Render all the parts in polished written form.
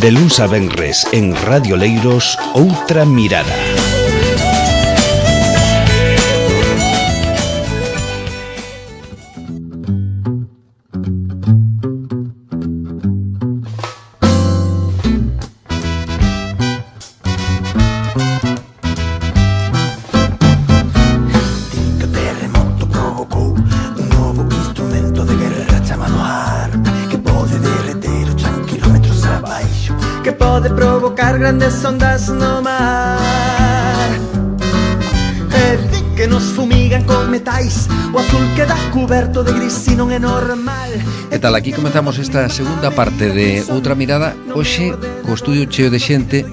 De luns a venres en Radio Leiros, Outra Mirada. Grandes ondas no mar e di que nos fumigan con metais. O azul queda cuberto de gris e non é normal. Que tal? Aquí comenzamos esta segunda parte de Outra Mirada. Hoxe, co estudio cheo de xente.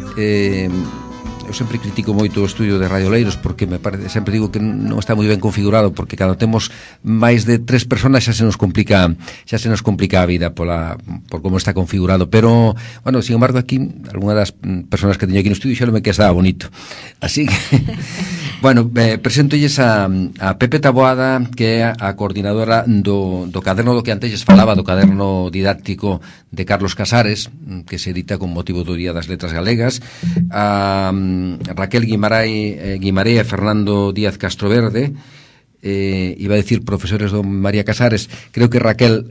Eu sempre critico moito o estudio de Radio Leiros porque me parece, sempre digo que non está moi ben configurado, porque cando temos máis de 3 personas xa se nos complica a vida por como está configurado, pero bueno, sin embargo aquí algunha das persoas que teño aquí no estudio xa non me que estaba bonito, así que bueno, presentolles a Pepe Taboada, que é a coordinadora do caderno do que antes falaba, do caderno didáctico de Carlos Casares, que se edita con motivo do Día das Letras Galegas, a Raquel Guimaré e Fernando Díaz Castroverde, iba a decir profesores do María Casares, creo que Raquel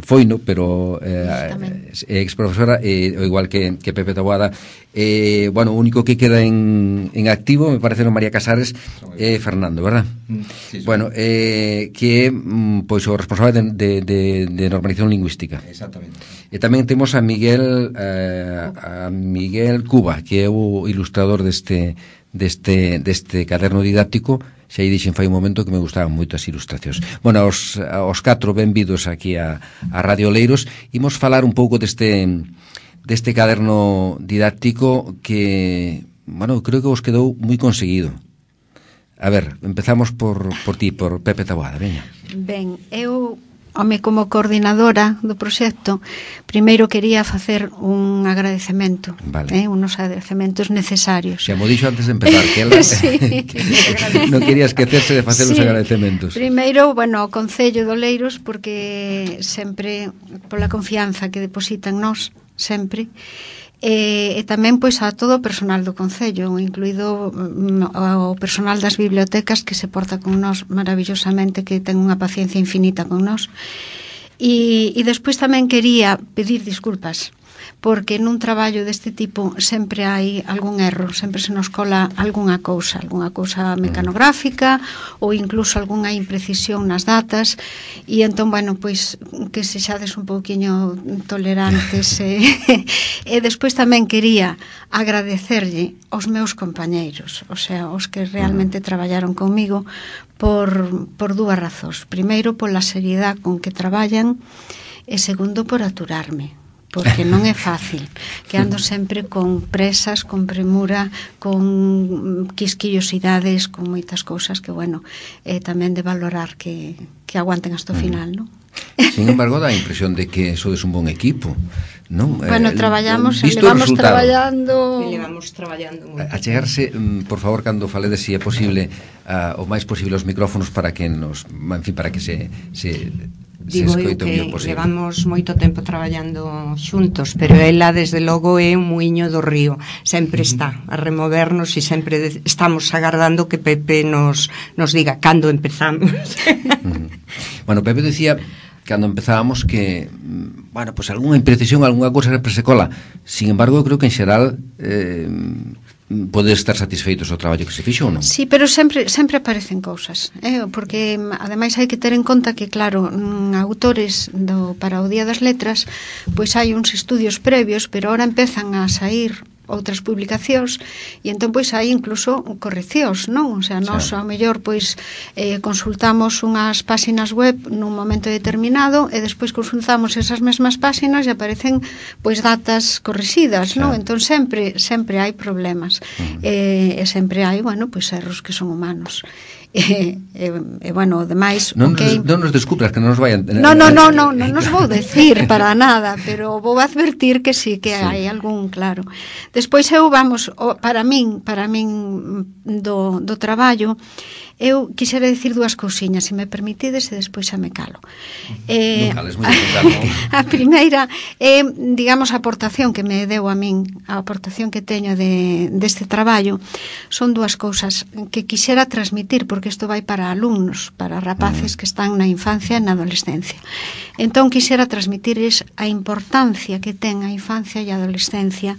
foi, no, pero ex profesora, igual que Pepe Taboada. Bueno, o único que queda en activo, me parece, no María Casares é Fernando, verdad? Sí, bueno, que é pois o responsable de normalización lingüística. Exactamente. E tamén temos a Miguel Cuba, que é o ilustrador deste caderno didáctico. Xa aí dixen fai un momento que me gustaban moito as ilustracións. Bueno, aos 4 benvidos aquí a Radio Leiros. Imos falar un pouco deste caderno didáctico que, bueno, creo que vos quedou moi conseguido. A ver, empezamos por ti, por Pepe Taboada, veña. Ben, eu, como coordinadora do proxecto, primeiro quería facer un agradecemento, vale. Unos agradecementos necesarios. Xa mo dixo antes de empezar, que ela sí. Non quería esquecerse de facer os agradecementos. Primeiro, bueno, ao Concello de Oleiros, porque sempre, pola confianza que depositan nós, sempre, e tamén pois a todo o personal do Concello, incluído o personal das bibliotecas, que se porta con nós maravillosamente, que ten unha paciencia infinita con nós. E despois tamén quería pedir disculpas, porque nun traballo deste tipo sempre hai algún erro, sempre se nos cola algunha cousa mecanográfica ou incluso algunha imprecisión nas datas, e entón, bueno, pois que sexades un pouquiño tolerantes e despois tamén quería agradecerlle aos meus compañeiros, o sea, os que realmente traballaron comigo por dúas razóns. Primeiro, pola seriedade con que traballan, e segundo, por aturarme, porque non é fácil, que ando sempre con presas, con premura, con quisquillosidades, con moitas cousas que, bueno, tamén de valorar que aguanten hasta o final, non? Sin embargo, dá a impresión de que sodes un bon equipo, non? Bueno, traballamos, levamos traballando a chegarse, por favor, cando faledes, se é posible, o máis posible os micrófonos para que nos, en fin, para que se digo eu que levamos moito tempo traballando xuntos, pero ela desde logo é un muiño do río, sempre está a removernos e sempre estamos agardando que Pepe nos diga cando empezamos. Bueno, Pepe decía cando empezábamos que, bueno, pues algunha imprecisión, algunha cousa sempre se cola. Sin embargo, eu creo que en xeral podes estar satisfeitos do traballo que se fixo ou non? Sí, pero sempre aparecen cousas, porque ademais hai que ter en conta que, claro, autores para o Día das Letras, pois hai uns estudios previos, pero ahora empezan a sair outras publicacións e entón pois hai incluso correccións, non? O sea, nós ao mellor pois consultamos unhas páxinas web nun momento determinado e despois consultamos esas mesmas páxinas e aparecen pois datas corrixidas, non? Entón sempre hai problemas e sempre hai, bueno, pois erros que son humanos. Bueno, demais non nos descubras que non nos vayan non nos vou decir para nada, pero vou advertir que sí, que hai algún, claro. Despois eu, vamos, para min do traballo, Eu quixera dicir dúas cousiñas, se me permitides, e despois xa me calo. Non cales, moi calmo. A primeira é, digamos, a aportación que me deu a min, a aportación que teño deste traballo, son dúas cousas que quixera transmitir, porque isto vai para alumnos, para rapaces que están na infancia e na adolescencia. Entón, quixera transmitirles a importancia que ten a infancia e a adolescencia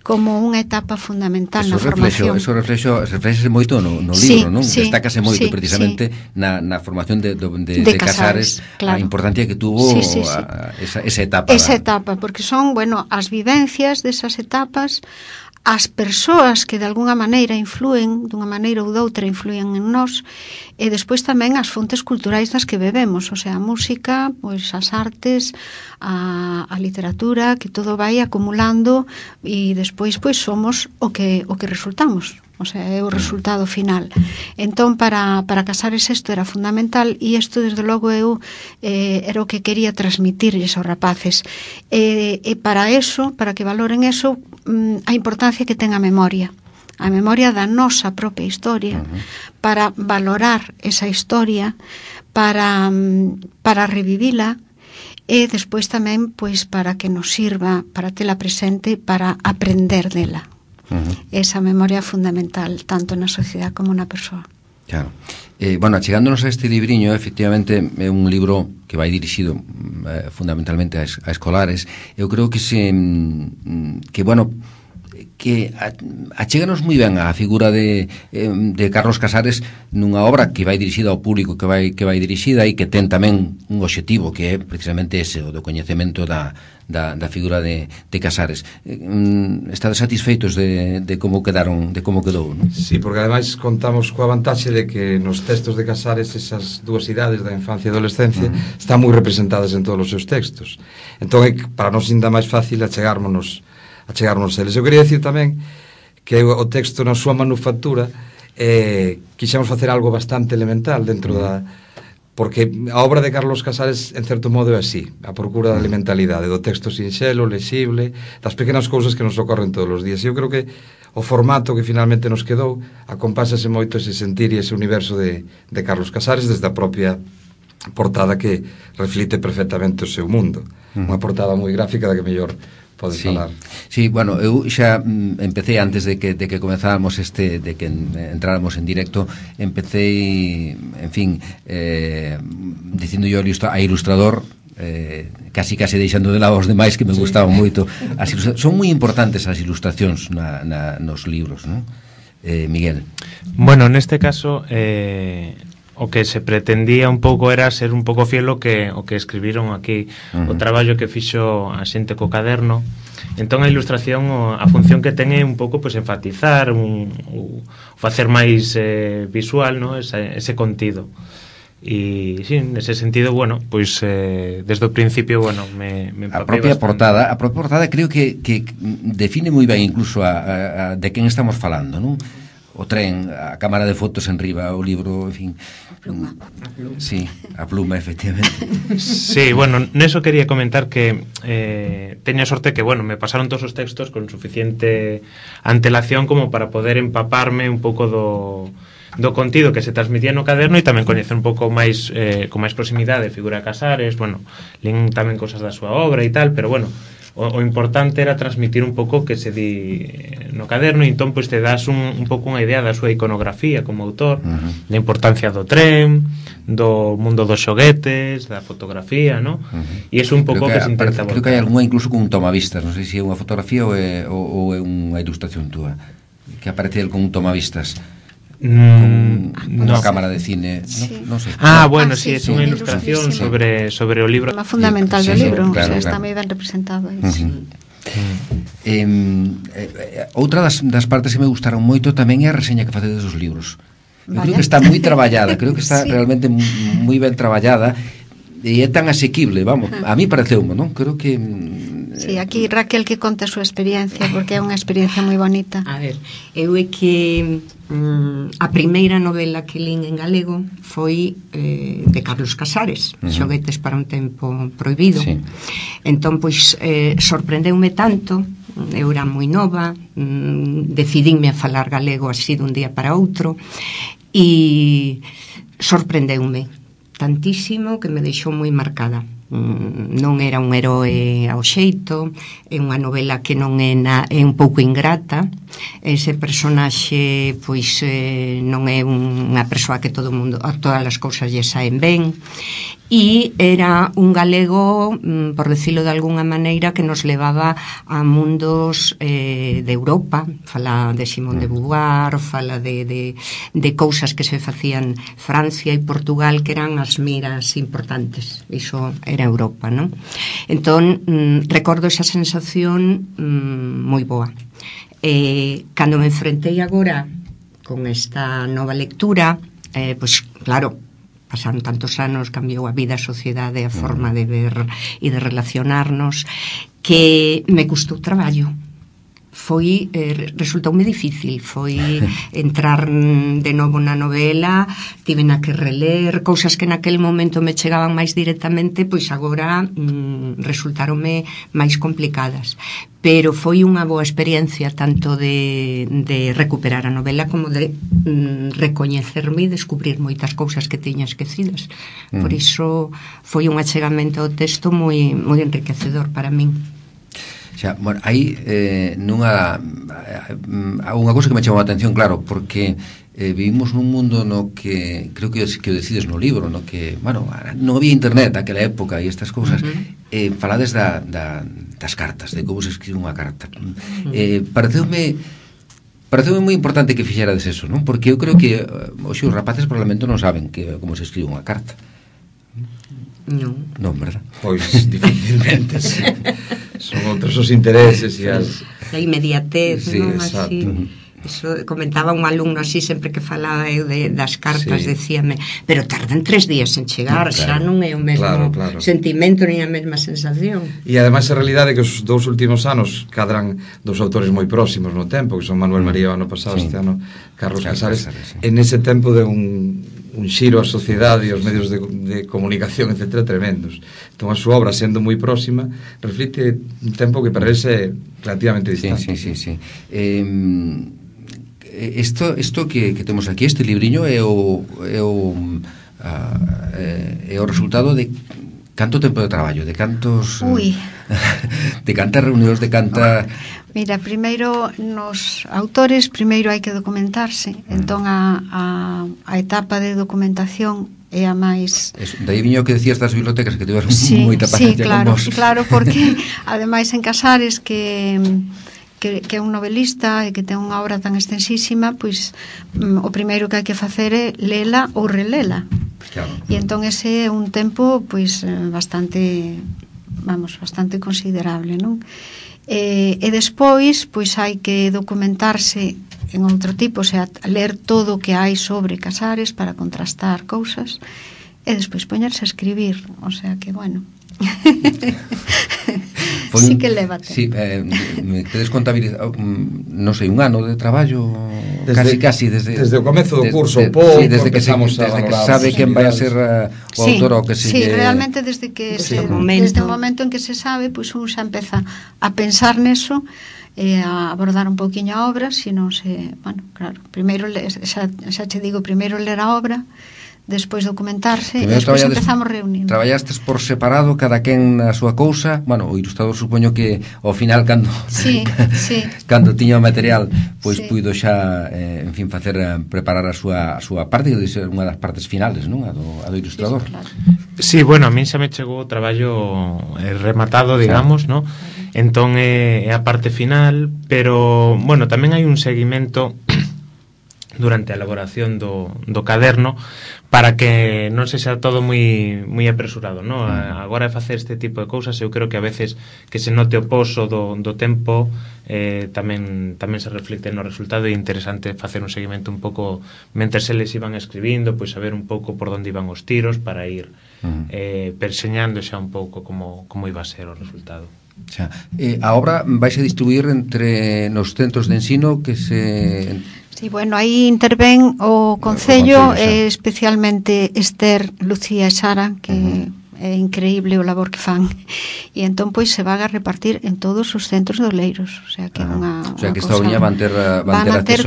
como unha etapa fundamental na formación. Eso reflexese moito no libro, non? Destácase moito precisamente na formación de Casares, claro. A importancia que tuvo esa etapa. Esa etapa, porque son, bueno, as vivencias desas etapas, as persoas que de alguna maneira influen, dunha maneira ou doutra influen en nós, e despois tamén as fontes culturais das que bebemos, o sea, a música, pois as artes, a literatura, que todo vai acumulando e despois pois somos o que resultamos. O sea, é o resultado final. Entón, para Casares isto era fundamental, e isto, desde logo, eu era o que quería transmitirles aos rapaces. E para eso, para que valoren eso, a importancia que ten a memoria da nosa propia historia, para valorar esa historia, para revivila, e despois tamén, pois, para que nos sirva, para tela presente, para aprender dela. Esa memoria fundamental tanto na sociedade como na persoa. Claro. Bueno, chegándonos a este libriño, efectivamente é un libro que vai dirixido fundamentalmente a escolares. Eu creo que achéganos moi ben a figura de Carlos Casares nunha obra que vai dirixida ao público que vai dirixida e que ten tamén un obxectivo que é precisamente ese, o do coñecemento da figura de Casares. Estades satisfeitos de como quedou, non? Sí, porque ademais contamos coa vantaxe de que nos textos de Casares esas dúas idades da infancia e adolescencia están moi representadas en todos os seus textos. Entón, para nós ainda máis fácil achegarnos eles. Eu quería dicir tamén que o texto na súa manufactura quixemos facer algo bastante elemental dentro porque a obra de Carlos Casares en certo modo é así, a procura da elementalidade, do texto sinxelo, lexible, das pequenas cousas que nos ocorren todos os días. E eu creo que o formato que finalmente nos quedou acompásase moito ese sentir e ese universo de Carlos Casares desde a propia portada que reflite perfectamente o seu mundo. Unha portada moi gráfica da que mellor podes falar. Sí, bueno, eu xa empecé antes de que comezáramos de que entráramos en directo, empecé, en fin, dicindo yo a ilustrador, casi deixando de lado os demais que me gustaban moito. Son moi importantes as ilustracións nos libros, non? Miguel. Bueno, neste caso o que se pretendía un pouco era ser un pouco fiel o que escribiron aquí, o traballo que fixo a xente co caderno. Entón a ilustración, a función que ten é un pouco pois enfatizar, facer máis visual, no, ese contido. E sí, nese sentido, bueno, pois desde o principio, bueno, me empapei a propia portada creo que define moi ben incluso de quen estamos falando, non? O tren, a cámara de fotos en riba, o libro, en fin. A pluma. Sí, a pluma, efectivamente. Sí, bueno, neso quería comentar que teña sorte que, bueno, me pasaron todos os textos con suficiente antelación como para poder empaparme un pouco do contido que se transmitía no caderno e tamén coñecer un pouco máis con máis proximidade figura de Casares, bueno, lín tamén cosas da súa obra e tal, pero bueno, o importante era transmitir un pouco que se di no caderno, e entón pois te das un pouco unha idea da súa iconografía como autor, da importancia do tren, do mundo dos xoguetes, da fotografía, ¿no? E é un pouco que se intenta volcar. Creo que hai algunha incluso con un tomavistas, non sei se é unha fotografía ou é unha ilustración túa, que aparece el con un tomavistas. Unha cámara de cine, sí. Non sei. Bueno, sí, é unha ilustración sobre o libro. Uma fundamental do libro, claro, está moi ben representado aí. Outra das partes que me gustaron moito tamén é a reseña que facedes dos libros. Eu creo que está moi traballada, creo que está realmente moi ben traballada e é tan asequible, vamos, a mí pareceume, non? Creo que Sí, aquí Raquel que conta a súa experiencia, porque é unha experiencia moi bonita. A ver, eu é que a primeira novela que lín en galego foi de Carlos Casares, Xoguetes para un tempo prohibido. Sí. Entón, pois, sorprendeume tanto, eu era moi nova, decidinme a falar galego así dun día para outro, e sorprendeume tantísimo que me deixou moi marcada. Non era un heroe ao xeito, é unha novela que non é un pouco ingrata. Ese personaxe pois non é unha persoa que todo mundo, a todas as cousas lle saen ben, e era un galego, por decirlo de alguna maneira, que nos levaba a mundos de Europa. Fala de Simón de Beauvoir, fala de cousas que se facían Francia e Portugal, que eran as miras importantes. Iso era Europa, non? Entón, recordo esa sensación moi boa. Cando me enfrentei agora con esta nova lectura, pois claro, pasaron tantos anos, cambiou a vida, a sociedade, a forma de ver e de relacionarnos, que me custou traballo. Resultoume difícil, foi entrar de novo na novela, tivena que reler cousas que naquele momento me chegaban máis directamente, pois agora resultaronme máis complicadas, pero foi unha boa experiencia tanto de recuperar a novela como de recoñecerme e descubrir moitas cousas que tiña esquecidas. Por iso foi un achegamento ao texto moi enriquecedor para min. Xa, bueno, aí unha cousa que me chamou a atención, claro, porque vivimos nun mundo no que creo que o decides no libro, no que, bueno, non había internet naquela época e estas cousas. Falades das cartas, de como se escribe unha carta. Pareceume moi importante que fixerades eso, non? Porque eu creo que hoxe os rapaces probablemente non saben como se escribe unha carta. Non, verdad? Pois difícilmente, sí. Son outros os intereses e as... A inmediatez, sí, non? Exacto. Así, eso comentaba un alumno así sempre que falaba eu das cartas, decíame, pero tardan 3 días en chegar, xa non é o mesmo sentimento nin a mesma sensación. E ademais a realidade é que os 2 últimos anos cadran 2 autores moi próximos no tempo, que son Manuel María o ano pasado, este ano Carlos Casares. En ese tempo de un xiro á sociedade e aos medios de comunicación, etc., tremendos. Entón a súa obra, sendo moi próxima, reflite un tempo que para él é relativamente distante. Sí. Isto que temos aquí, este libriño, é o resultado de canto tempo de traballo, de cantos... de cantas reunións, de canta... Mira, primeiro, nos autores, primeiro hai que documentarse. Entón, a etapa de documentación é a máis... Daí viño que decías das bibliotecas, que tiveron moita paciencia con vos. Sí, claro, porque, ademais, en Casares, que é un novelista e que ten unha obra tan extensísima, pois o primeiro que hai que facer é lela ou relela. Claro. E entón ese é un tempo pois bastante considerable, non? E despois pois hai que documentarse en outro tipo, o sea, ler todo o que hai sobre Casares para contrastar cousas e despois poñerse a escribir, o sea que, bueno, sí que leva tempo. Sí, me tedes contabilizado, non sei, un ano de traballo casi desde o comezo do curso, pouco, desde que sabe quen vai a ser o autor ou que se... Sí, realmente desde o momento en que se sabe, pois un xa empeza a pensar neso e a abordar un pouquiño a obra, senón se, bueno, claro, primeiro xa te digo, primeiro ler a obra, despois documentarse e despois empezamos reunindo. Traballastes por separado, cada quen na súa cousa. Bueno, o ilustrador supoño que ao final cando cando tiña o material, pois puido xa facer preparar a súa parte, de ser unha das partes finales, non? A do ilustrador. Sí, bueno, a min xa me chegou o traballo rematado, digamos, non? Entón é a parte final, pero bueno, tamén hai un seguimento durante a elaboración do caderno para que non se xa todo moi apresurado, non? Agora facer este tipo de cousas, eu creo que a veces que se note o poso do tempo tamén se reflicte no resultado. É interesante facer un seguimento un pouco mentres eles iban escribindo, pois saber un pouco por onde iban os tiros para ir perseñando xa un pouco como iba a ser o resultado. Xa. A obra vais a distribuir entre nos centros de ensino que se... Sí, bueno, aí intervén o Concello, especialmente Esther, Lucía e Sara, que é increíble o labor que fan. E entón pois se van a repartir en todos os centros de Oleiros, o sea que é unha o sea que esta cousa, oña van ter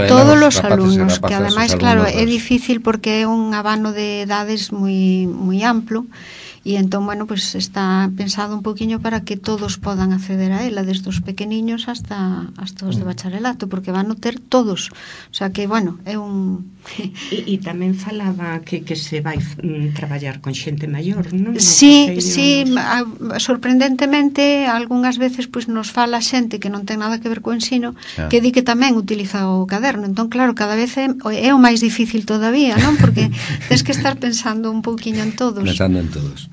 todos os alumnos, que ademais claro, é difícil difícil porque é un abano de edades moi amplo. E entón, bueno, pues está pensado un poquinho para que todos podan acceder a ela, desde os pequeniños hasta os de bacharelato, porque van a ter todos. O sea que, bueno, é un... E tamén falaba que se vai traballar con xente maior, non? Sí, sorprendentemente, algunhas veces pues, nos fala xente que non ten nada que ver co ensino, que di que tamén utiliza o caderno. Entón, claro, cada vez é o máis difícil todavía, non? Porque tens que estar pensando un pouquiño en todos. Pensando en todos.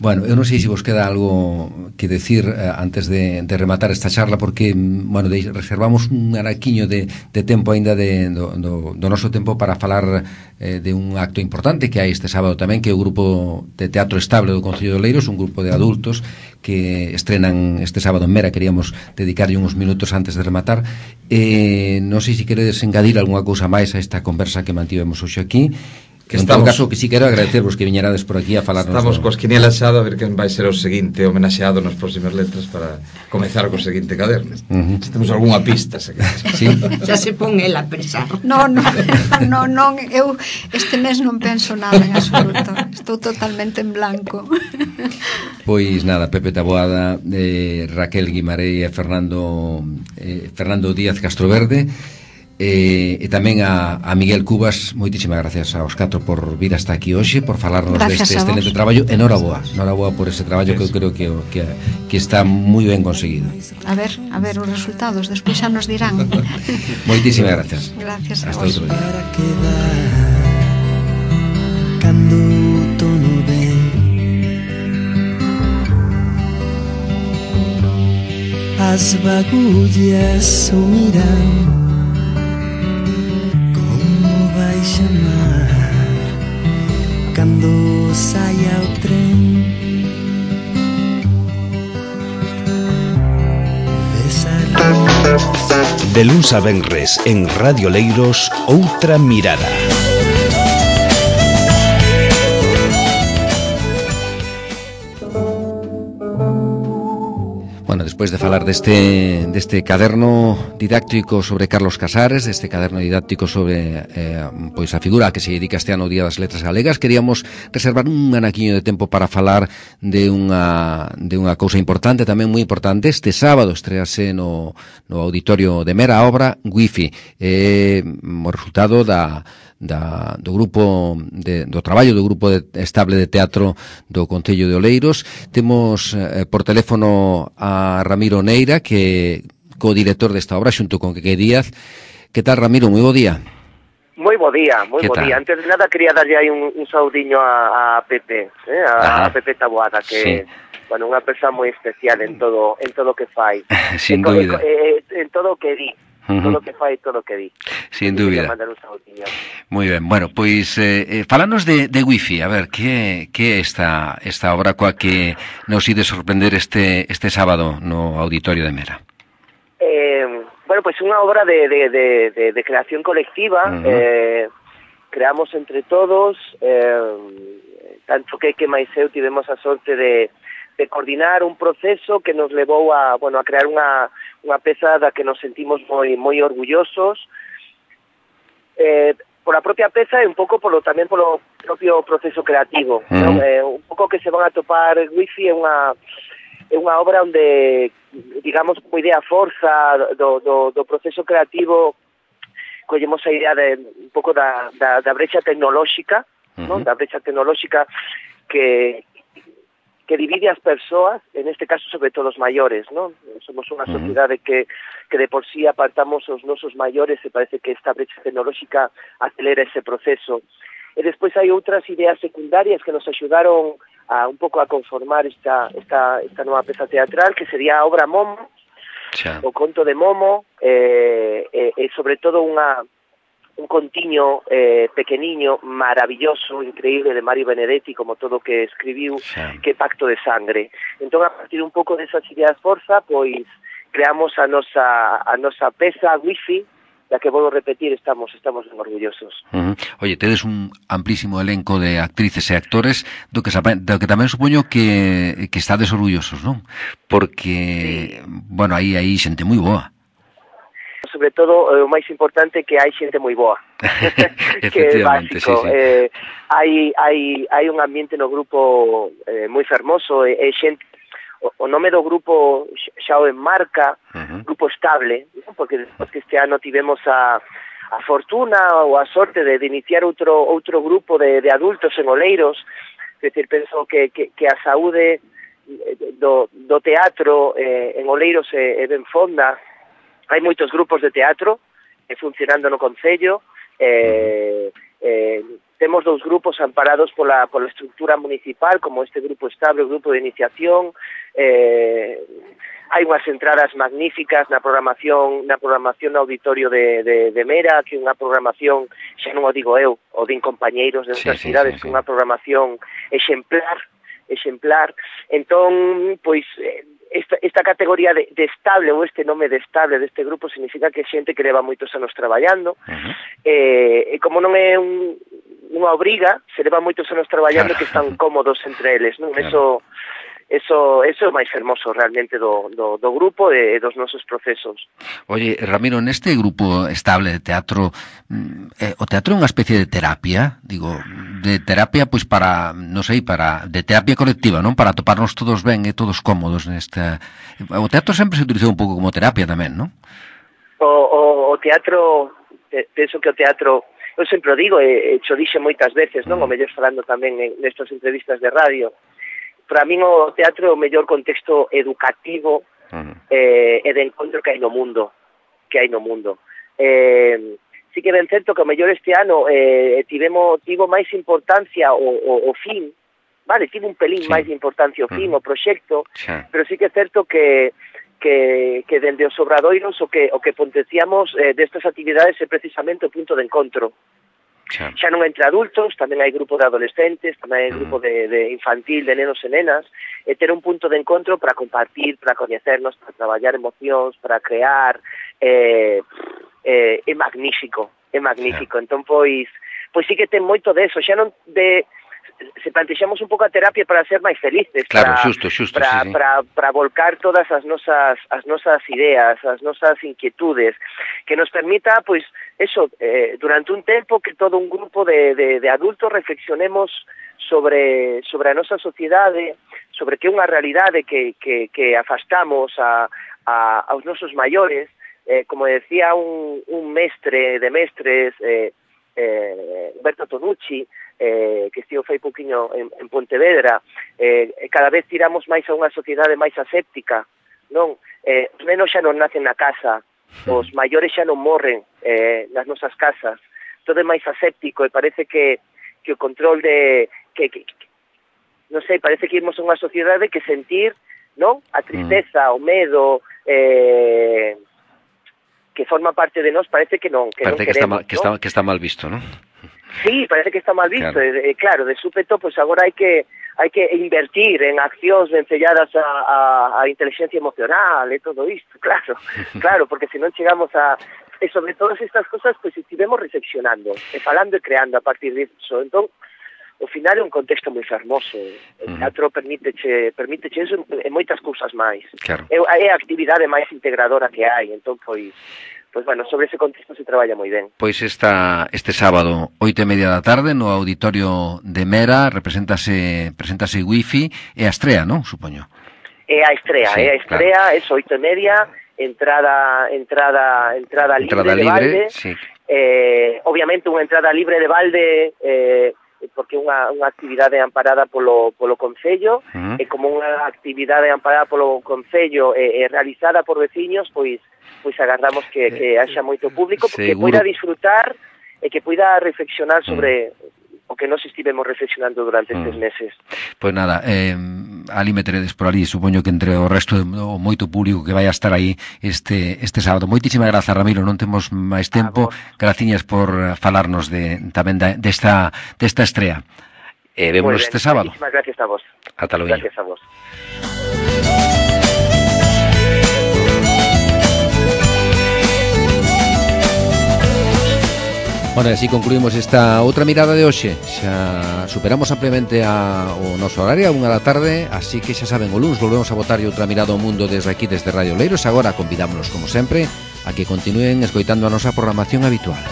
Bueno, eu non sei se vos queda algo que decir antes de rematar esta charla, porque, bueno, reservamos un araquiño de tempo aínda do noso tempo para falar de un acto importante que hai este sábado tamén, que é o grupo de teatro estable do Concello de Oleiros, un grupo de adultos que estrenan este sábado en Mera. Queríamos dedicarlle uns minutos antes de rematar. Non sei se queredes engadir algunha cousa máis a esta conversa que mantivemos hoxe aquí. Que en todo caso, que si quero agradecervos que viñerades por aquí a falarnos. Estamos coas quinielas xa a ver quen vai ser o seguinte homenaxeado nas próximas letras para comezar co seguinte caderno. Se temos algunha pista, se sí. Xa se pon el a pensar. Non, eu este mes non penso nada en absoluto. Estou totalmente en blanco. Pois nada, Pepe Taboada, Raquel Guimarei e Fernando Díaz Castroverde, e tamén a Miguel Cubas. Moitísimas gracias aos 4 por vir hasta aquí hoxe, por falarnos deste excelente traballo. Noraboa por ese traballo que eu creo que está moi ben conseguido. A ver os resultados, despois xa nos dirán. Moitísimas gracias. Gracias a hasta vos. Outro día. Cando tono ven, as bagullas o miran, vai chamar cando saia o tren. De luns a venres en Radio Leiros, Outra Mirada. Bueno, despois de falar deste caderno didáctico sobre Carlos Casares, deste caderno didáctico sobre pois a figura a que se dedica este ano o Día das Letras Galegas, queríamos reservar un anaquiño de tempo para falar de unha cousa importante, tamén moi importante. Este sábado estrease no auditorio de Mera a obra Wi-Fi, o resultado do grupo do traballo do grupo estable de teatro do Concello de Oleiros. Temos por teléfono a Ramiro Neira, que co-director desta obra xunto con Quique Díaz. Que tal, Ramiro? Moi bo día. Moi bo día, moi bo día. Antes de nada quería darlle aí un saudiño a Pepe, a Pepe Taboada, que bueno, unha persoa moi especial en todo que fai. Sin dúbida. En todo o que di. Todo o que fai, todo o que di. Sin dúbida. Moi ben. Bueno, pois falanos de Wi-Fi. A ver, que é esta obra coa que nos ide sorprender este sábado no auditorio de Mera? Bueno, pois unha obra de creación colectiva. Creamos entre todos, tanto que máis eu tivemos a sorte de coordinar un proceso que nos levou a crear unha peza da que nos sentimos moi orgullosos, por a propia peza e un pouco tamén polo propio proceso creativo, non? Un pouco que se van a topar. Wi-Fi é unha obra onde, digamos, como idea forza do proceso creativo, collemos a idea de un pouco da brecha tecnolóxica, non? Da brecha tecnolóxica que divide as persoas, en este caso sobre todo os maiores, non? Somos unha sociedade que de por sí apartamos os nosos maiores, e parece que esta brecha tecnolóxica acelera ese proceso. E despois hai outras ideas secundarias que nos axudaron un pouco a conformar esta nova peza teatral, que sería a obra Momo, o conto de Momo, e sobre todo un contiño pequeniño, maravilloso, increíble, de Mario Benedetti, como todo o que escribiu, que Pacto de Sangre. Entón, a partir un pouco desas ideas forza, pois creamos a nosa peza Wi-Fi, que volvo a repetir, estamos ben orgullosos. Oye, tedes un amplísimo elenco de actrices e actores do que tamén supoño que estades orgullosos, non? Porque, bueno, aí xente moi boa. Sobre todo, o máis importante é que hai xente moi boa. Que é básico. Sí. Hai un ambiente no grupo moi fermoso, e xente. O nome do grupo xa o enmarca, grupo estable, ¿no? Porque despois que este ano tivemos a fortuna ou a sorte de iniciar outro grupo de adultos en Oleiros. É dicir, penso que a saúde do teatro en Oleiros é ben fonda. Hai moitos grupos de teatro funcionando no concello. Temos 2 grupos amparados pola estructura municipal, como este grupo estable, o grupo de iniciación. Hai unhas entradas magníficas na programación no auditorio de Mera, que é unha programación, xa non o digo eu, o din compañeiros de outras cidades, que é unha programación exemplar. Entón, pois, esta categoría de estable, ou este nome de estable deste grupo, significa que é xente que leva moitos anos traballando, e como non é unha obriga, se leva moitos anos traballando, que están cómodos entre eles, non? Eso é o máis hermoso realmente do grupo e dos nosos procesos. Oye, Ramiro, neste grupo estable de teatro, o teatro é unha especie de terapia, digo, de terapia pois para, non sei, de terapia colectiva, non? Para toparnos todos ben e todos cómodos nesta. O teatro sempre se utilizou un pouco como terapia tamén, non? O teatro, penso que o teatro, eu sempre o digo, e xo dixe moitas veces, non? O mellor falando tamén nestas entrevistas de radio. Para min o teatro é o mellor contexto educativo e de encontro que hai no mundo. Sí que ben certo que o mellor este ano tivo máis importancia o fin, vale, tivo un pelín máis de importancia o fin, o proxecto, pero sí que é certo que dende os obradoiros o que potenciamos destas actividades é precisamente o punto de encontro. Xa non entre adultos, tamén hai grupo de adolescentes, tamén hai grupo de infantil, de nenos e nenas, e ter un punto de encontro para compartir, para coñecernos, para traballar emocións, para crear, é magnífico. Entón, pois sí que ten moito deso, xa non se plantexamos un pouco a terapia para ser máis felices, claro, xusto, para volcar todas as nosas ideas, as nosas inquietudes, que nos permita, pois, eso, durante un tempo que todo un grupo de adultos reflexionemos sobre a nosa sociedade, sobre que é unha realidade que afastamos aos nosos maiores, como decía un mestre de mestres, Umberto Tonucci, que estivo fai pouquiño en Pontevedra, cada vez tiramos máis a unha sociedade máis aséptica, non? Os nenos xa non nacen na casa, os maiores xa non morren nas nosas casas, todo é máis aséptico, e parece que o control non sei, parece que irmos a unha sociedade que sentir, non? A tristeza, o medo, que forma parte de nós, parece que non, que parece non queremos, que está mal visto, non? Sí, parece que está mal visto, claro, de súpeto, pois agora hai que invertir en accións vencelladas a inteligencia emocional e todo isto, claro, porque se non chegamos e sobre todas estas cosas, pois estivemos reflexionando, e falando e creando a partir disso. Entón, ao final é un contexto moi fermoso, o teatro permíteche eso e moitas cousas máis. Claro. É a actividade máis integradora que hai, entón, pois, bueno, sobre ese contexto se traballa moi ben. Pois este sábado, 8:30 da tarde, no auditorio de Mera, presentase Wifi, e a estrea, non? Supoño. É a estrea, claro. É 8:30, entrada libre de balde. Sí. Obviamente unha entrada libre de balde, porque é unha actividade amparada polo Concello, e como unha actividade amparada polo Concello e realizada por veciños, pois agardamos que haxa moito público, que poida disfrutar e que poida reflexionar sobre o que nos estivemos reflexionando durante estes meses. Pois nada, ali me teredes por ali, supoño que entre o resto do moito público que vai a estar aí este sábado. Moitísimas grazas, Ramiro, non temos máis tempo. Graciñas por falarnos tamén desta estrea. Vémonos este sábado. Moitísimas gracias a vos. Ata logo. Gracias a vos. Bueno, así concluímos esta outra mirada de hoxe. Xa superamos ampliamente o noso horario, a 1 da tarde, así que xa saben, o luns volvemos a botar outra mirada ao mundo desde aquí, desde Radio Oleiros. Agora convidámonos, como sempre, a que continúen escoitando a nosa programación habitual.